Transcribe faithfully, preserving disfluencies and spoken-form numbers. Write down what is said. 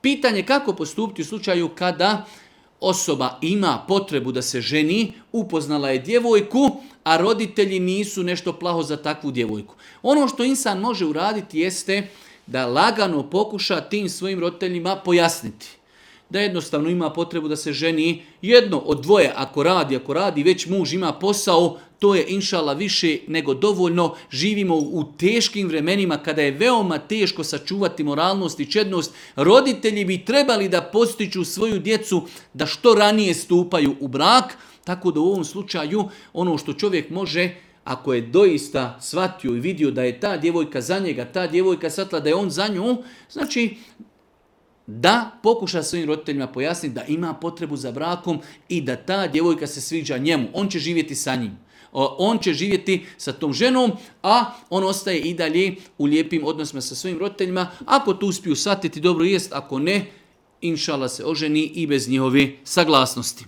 Pitanje kako postupiti u slučaju kada osoba ima potrebu da se ženi, upoznala je djevojku, a roditelji nisu nešto plaho za takvu djevojku. Ono što insan može uraditi jeste da lagano pokuša tim svojim roditeljima pojasniti. Da jednostavno ima potrebu da se ženi jedno od dvoje, ako radi, ako radi, već muž ima posao, to je inšala više nego dovoljno. Živimo u teškim vremenima kada je veoma teško sačuvati moralnost i čednost. Roditelji bi trebali da postiču svoju djecu da što ranije stupaju u brak, tako da u ovom slučaju ono što čovjek može, ako je doista shvatio i vidio da je ta djevojka za njega, ta djevojka shvatila da je on za nju, znači da pokuša svojim roditeljima pojasniti da ima potrebu za brakom i da ta djevojka se sviđa njemu. On će živjeti sa njim. On će živjeti sa tom ženom, a on ostaje i dalje u lijepim odnosima sa svojim roditeljima. Ako to uspiju shvatiti, dobro jest, ako ne, inšala se oženi i bez njihove saglasnosti.